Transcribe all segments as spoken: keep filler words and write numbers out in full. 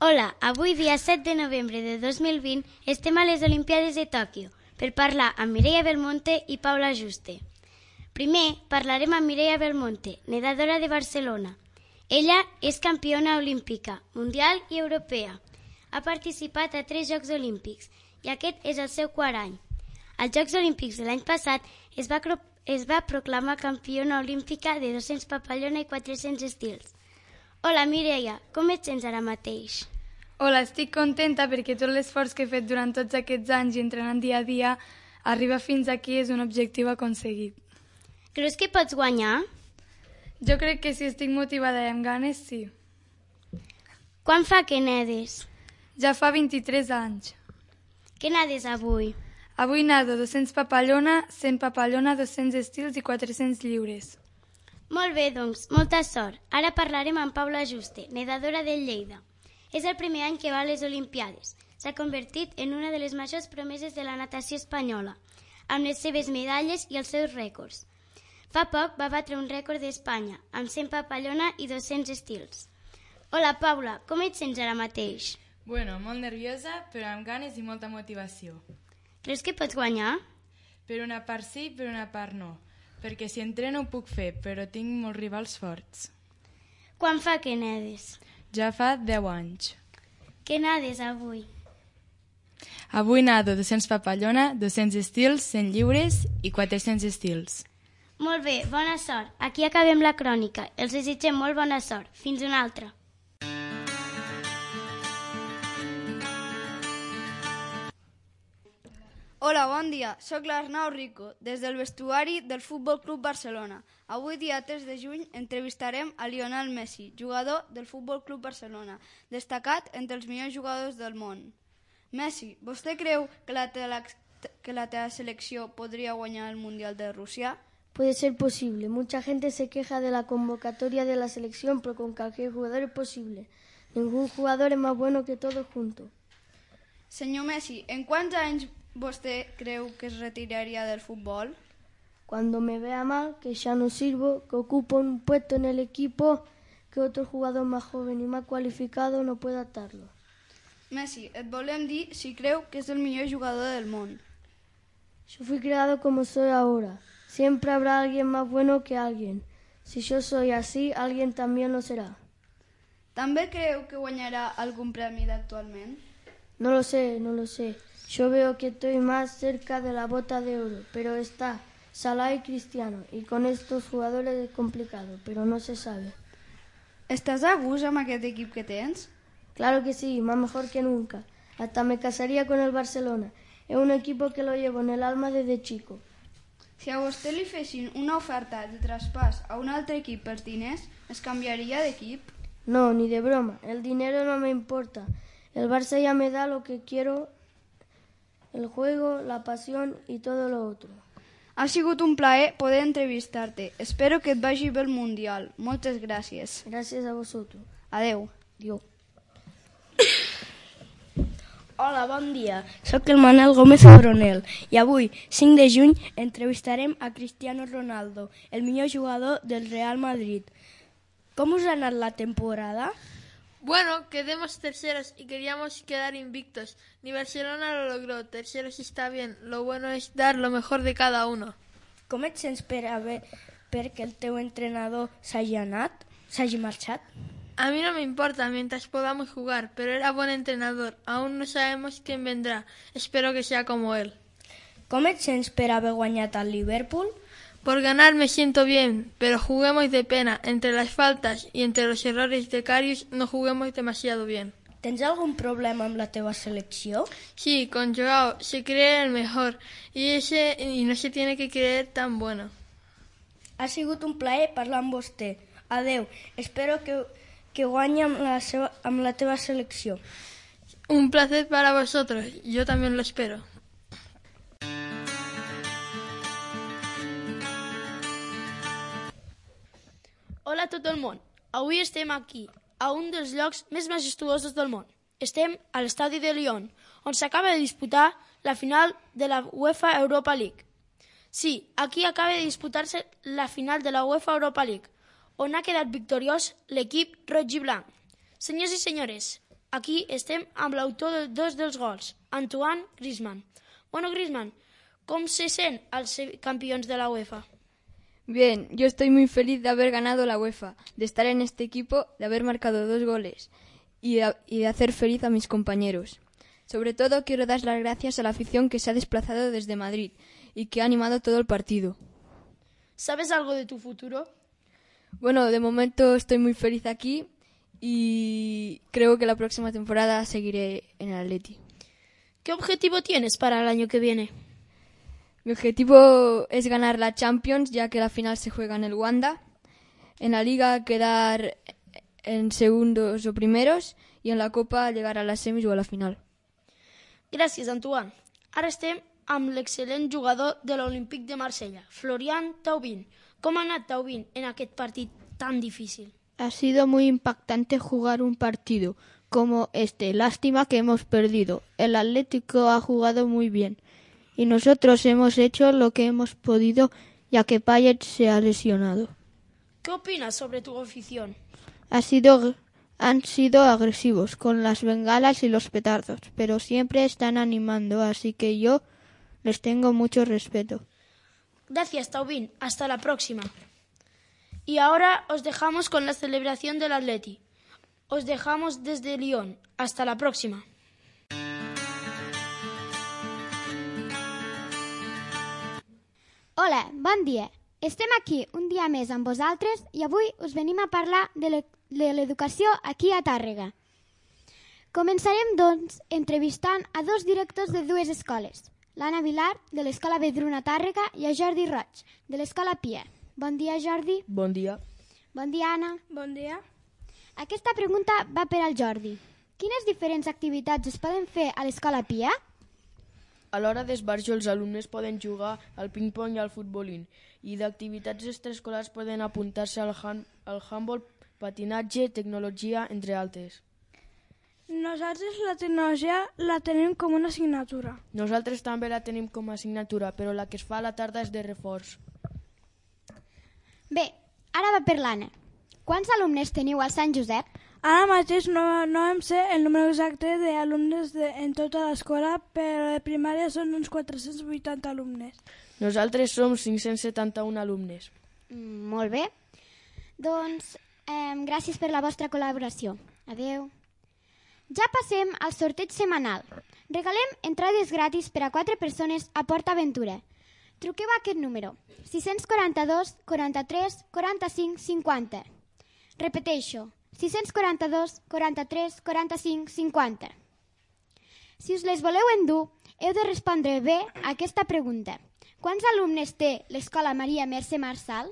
Hola, avui dia set de novembre de dos mil vint estem a les Olimpíades de Tòquio per parlar amb Mireia Belmonte i Paula Juste. Primer parlarem amb Mireia Belmonte, nedadora de Barcelona. Ella és campiona olímpica, mundial i europea. Ha participat a tres Jocs Olímpics i aquest és el seu quart any. Als Jocs Olímpics de l'any passat es va, es va proclamar campiona olímpica de dos-cents papallona i quatre-cents estils. Hola Mireia, com et sents ara mateix? Hola, estic contenta perquè tot l'esforç que he fet durant tots aquests anys i entrenant dia a dia, arribar fins aquí és un objectiu aconseguit. Creus que pots guanyar? Jo crec que si estic motivada i amb ganes, sí. Quan fa que nedes? Ja fa vint-i-tres anys. Què nedes avui? Avui nado dos-cents papallona, cent papallona, dos-cents estils i quatre-cents lliures. Molt bé, doncs, molta sort. Ara parlarem amb Paula Juste, nedadora del Lleida. És el primer any que va a les Olimpíades. S'ha convertit en una de les majors promeses de la natació espanyola, amb les seves medalles i els seus rècords. Fa poc va batre un rècord d'Espanya, amb cent papallona i dos-cents estils. Hola, Paula, com et sents ara mateix? Bueno, molt nerviosa, però amb ganes i molta motivació. Creus que pots guanyar? Per una part sí, per una part no. Perquè si entreno ho puc fer, però tinc molts rivals forts. Quan fa que nedes? Ja fa deu anys. Què nades avui? Avui nado dos-cents papallona, dos-cents estils, cent lliures i quatre-cents estils. Molt bé, bona sort. Aquí acabem la crònica. Els desitgem molt bona sort. Fins una altra. Hola, bon dia. Soc l'Arnau Rico, des del vestuari del Futbol Club Barcelona. Avui, dia tres de juny, entrevistarem a Lionel Messi, jugador del Futbol Club Barcelona, destacat entre els millors jugadors del món. Messi, vostè creu que la, tela, que la teva selecció podria guanyar el Mundial de Rusia? Puede ser posible. Mucha gente se queja de la convocatoria de la selección, pero con cualquier jugador es posible. Ningún jugador es más bueno que todos juntos. Senyor Messi, en quants anys vostè creu que es retiraría del fútbol? Cuando me vea mal, que ya no sirvo, que ocupo un puesto en el equipo, que otro jugador más joven y más cualificado no pueda atarlo. Messi, et volem dir si creu que és el millor jugador del món. Yo fui creado como soy ahora. Siempre habrá alguien más bueno que alguien. Si yo soy así, alguien también lo será. També creu que guanyarà algun premi d'actualment? No lo sé, no lo sé. Yo veo que estoy más cerca de la bota de oro, pero está Salah y Cristiano, y con estos jugadores es complicado, pero no se sabe. ¿Estás a gust amb aquest equip que tens? Claro que sí, más mejor que nunca. Hasta me casaría con el Barcelona. Es un equipo que lo llevo en el alma desde chico. Si a vostè li fessin una oferta de traspàs a un altre equip per diners, es canviaria d'equip? No, ni de broma. El dinero no me importa. El Barça ya me da lo que quiero, el juego, la pasión y todo lo otro. Ha sigut un plaer poder entrevistar-te. Espero que et vagi bé el Mundial. Moltes gràcies. Gracias a vosotros. Adeu. Adiós. Hola, bon dia. Soc el Manel Gómez Abronel i avui, cinc de juny, entrevistarem a Cristiano Ronaldo, el millor jugador del Real Madrid. ¿Cómo us ha anat la temporada? Bueno, quedemos terceros y queríamos quedar invictos. Ni Barcelona lo logró, terceros está bien. Lo bueno es dar lo mejor de cada uno. Com et sents per haver perquè el teu entrenador s'hagi anat, s'hagi marxat? A mí no me importa mientras podamos jugar, pero era buen entrenador. Aún no sabemos quién vendrá. Espero que sea como él. Com et sents per haver guanyat al Liverpool? Por ganar me siento bien, pero juguemos de pena. Entre las faltas y entre los errores de Karius no juguemos demasiado bien. Tens algun problema amb la teva selecció? Sí, con Joao se cree el mejor y, ese, y no se tiene que creer tan bueno. Ha sigut un plaer parlar amb vostè. Adeu. Espero que, que guanyi amb la, seva, amb la teva selecció. Un placer para vosotros. Yo también lo espero. Hola a tot el món. Avui estem aquí, a un dels llocs més majestuosos del món. Estem a l'estadi de Lyon, on s'acaba de disputar la final de la UEFA Europa League. Sí, aquí acaba de disputar-se la final de la UEFA Europa League, on ha quedat victoriós l'equip roig i blanc. Senyors i senyores, Aquí estem amb l'autor de dos dels gols, Antoine Griezmann. Bueno, Griezmann, ¿cómo se sent al ser campeones de la UEFA? Bien, yo estoy muy feliz de haber ganado la UEFA, de estar en este equipo, de haber marcado dos goles y de, y de hacer feliz a mis compañeros. Sobre todo quiero dar las gracias a la afición que se ha desplazado desde Madrid y que ha animado todo el partido. ¿Sabes algo de tu futuro? Bueno, de momento estoy muy feliz aquí y creo que la próxima temporada seguiré en el Atleti. ¿Qué objetivo tienes para el año que viene? Mi objetivo es ganar la Champions, ya que la final se juega en el Wanda. En la Liga quedar en segundos o primeros y en la Copa llegar a las semis o a la final. Gràcies, Antoine. Ara estem amb l'excel·lent jugador de l'Olímpic de Marsella, Florian Thauvin. ¿Cómo ha anat Thauvin en aquest partit tan difícil? Ha sido muy impactante jugar un partido como este. Lástima que hemos perdido. El Atlético ha jugado muy bien y nosotros hemos hecho lo que hemos podido, ya que Payet se ha lesionado. ¿Qué opinas sobre tu afición? Ha sido, han sido agresivos con las bengalas y los petardos, pero siempre están animando, así que yo les tengo mucho respeto. Gracias, Thauvin. Hasta la próxima. Y ahora os dejamos con la celebración del Atleti. Os dejamos desde Lyon. Hasta la próxima. Hola, bon dia. Estem aquí un dia més amb vosaltres i avui us venim a parlar de l'educació aquí a Tàrrega. Començarem, doncs, entrevistant a dos directors de dues escoles, l'Anna Vilar, de l'Escola Vedruna Tàrrega, i a Jordi Roig, de l'Escola Pia. Bon dia, Jordi. Bon dia. Bon dia, Anna. Bon dia. Aquesta pregunta va per al Jordi. Quines diferents activitats es poden fer a l'Escola Pia? A l'hora d'esbarjo els alumnes poden jugar al ping-pong i al futbolín i d'activitats extraescolars poden apuntar-se al, hand, al handball, patinatge, tecnologia, entre altres. Nosaltres la tecnologia la tenim com una assignatura. Nosaltres també la tenim com a assignatura, però la que es fa a la tarda és de reforç. Bé, ara va per l'Anna. Quants alumnes teniu al Sant Josep? Ara mateix no, no em sé el número exacte d'alumnes de, en tota l'escola, però de primària són uns quatre-cents vuitanta alumnes. Nosaltres som cinc-cents setanta-un alumnes. Mm, molt bé. Doncs eh, gràcies per la vostra col·laboració. Adeu. Ja passem al sorteig setmanal. Regalem entrades gratis per a quatre persones a Port Aventura. Truqueu a aquest número, sis quaranta-dos, quaranta-tres, quaranta-cinc, cinquanta. Repeteixo, sis quaranta-dos, quaranta-tres, quaranta-cinc, cinquanta. Si us les voleu endur, heu de respondre bé a aquesta pregunta. Quants alumnes té l'Escola Maria Mercè Marçal?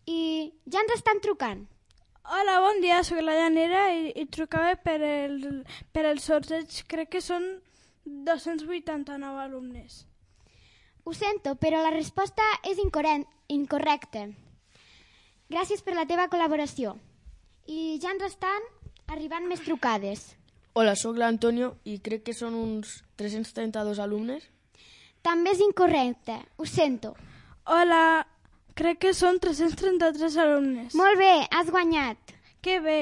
I ja ens estan trucant. Hola, bon dia, soc la Llanera i, i trucava per el, per el sorteig. Crec que són dos-cents vuitanta-nou alumnes. Ho sento, però la resposta és incorrecta. Gràcies per la teva col·laboració. I ja ens estan arribant més trucades. Hola, sóc l'Antonio i crec que són uns tres-cents trenta-dos alumnes. També és incorrecte, ho sento. Hola, crec que són tres-cents trenta-tres alumnes. Molt bé, has guanyat. Que bé.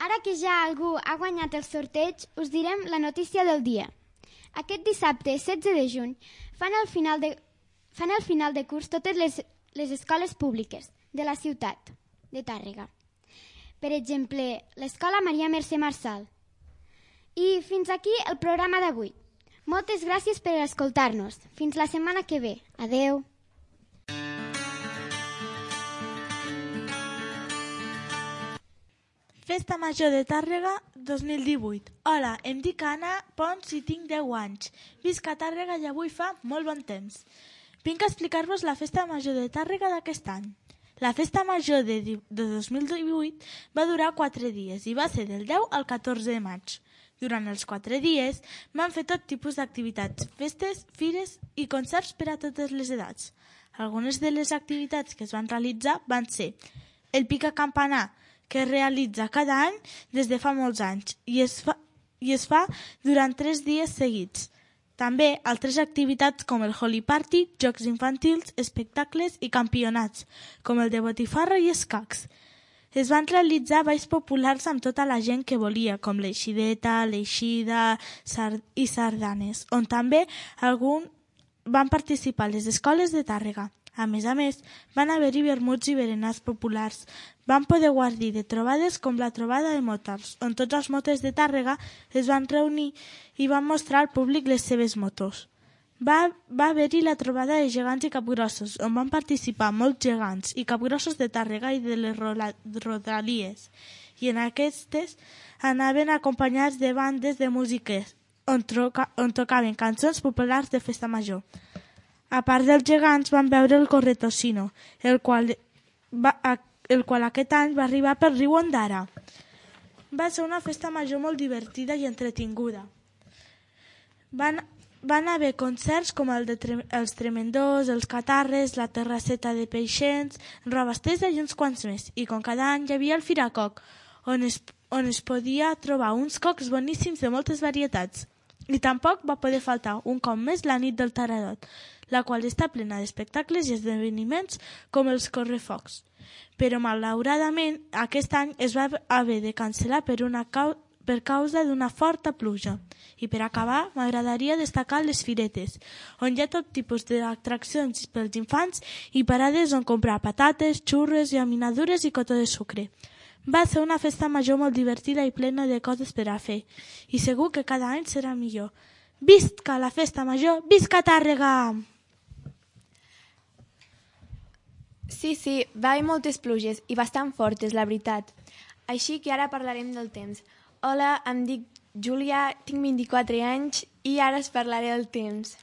Ara que ja algú ha guanyat el sorteig, us direm la notícia del dia. Aquest dissabte, setze de juny, fan el final de, fan el final de curs totes les, les escoles públiques de la ciutat de Tàrrega. Per exemple, l'Escola Maria Mercè Marçal. I fins aquí el programa d'avui. Moltes gràcies per escoltar-nos. Fins la setmana que ve. Adeu. Festa Major de Tàrrega dos mil divuit. Hola, em dic Anna Pons i tinc deu anys. Visc a Tàrrega i avui fa molt bon temps. Vinc a explicar-vos la Festa Major de Tàrrega d'aquest any. La Festa Major de, de dos mil divuit va durar quatre dies i va ser del deu al catorze de maig. Durant els quatre dies van fer tot tipus d'activitats, festes, fires i concerts per a totes les edats. Algunes de les activitats que es van realitzar van ser el pica-campanar, que es realitza cada any des de fa molts anys i es fa, i es fa durant tres dies seguits. També altres activitats com el Holy Party, jocs infantils, espectacles i campionats, com el de botifarra i escacs. Es van realitzar balls populars amb tota la gent que volia, com l'eixideta, l'eixida sard i sardanes, on també algun van participar les escoles de Tàrrega. A més a més, van haver-hi vermuts i berenars populars. Van poder guardir de trobades com la trobada de motors, on tots els moters de Tàrrega es van reunir i van mostrar al públic les seves motos. Va, va haver-hi la trobada de gegants i capgrossos, on van participar molts gegants i capgrossos de Tàrrega i de les rodalies, i en aquestes anaven acompanyats de bandes de músiques, on, troca, on tocaven cançons populars de festa major. A part dels gegants van veure el Corretocino, el qual, va, el qual aquest any va arribar pel riu Ondara. Va ser una festa major molt divertida i entretinguda. Van Van haver concerts com el de tre els Tremendors, els Catarres, la Terrasseta de Peixens, Roba Estesa i uns quants més. I com cada any hi havia el Firacoc, on es, on es podia trobar uns cocs boníssims de moltes varietats. I tampoc va poder faltar un cop més la nit del Taradot, la qual està plena d'espectacles i esdeveniments com els correfocs. Però malauradament aquest any es va haver de cancel·lar per una causa per causa d'una forta pluja. I per acabar, m'agradaria destacar les firetes, on hi ha tot tipus d'atraccions pels infants i parades on comprar patates, xurres, llaminadures i cotó de sucre. Va ser una festa major molt divertida i plena de coses per a fer, i segur que cada any serà millor. Visca la festa major, visca Tàrrega! Sí, sí, va haver moltes pluges i bastant fortes, la veritat. Així que ara parlarem del temps. Hola, em dic Júlia, tinc vint-i-quatre anys i ara us parlaré del temps.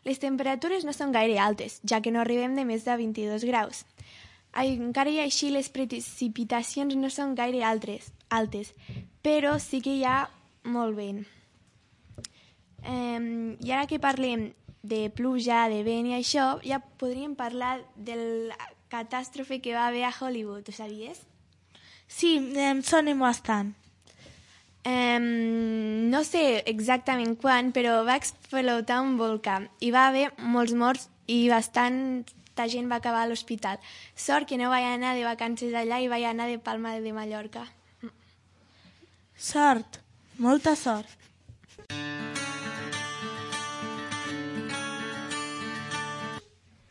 Les temperatures no són gaire altes, ja que no arribem de més de vint-i-dos graus. Encara i així les precipitacions no són gaire altres, altes, però sí que hi ha molt vent. Um, I ara que parlem de pluja, de vent i això, ja podríem parlar de la catàstrofe que va haver a Hollywood, ho sabies? Sí, em sona bastant. Um, no sé exactament quan, però va explotar un volcà i va haver molts morts i bastanta gent va acabar a l'hospital. Sort que no vaig anar de vacances allà i vaig anar de Palma de Mallorca. Sort, molta sort.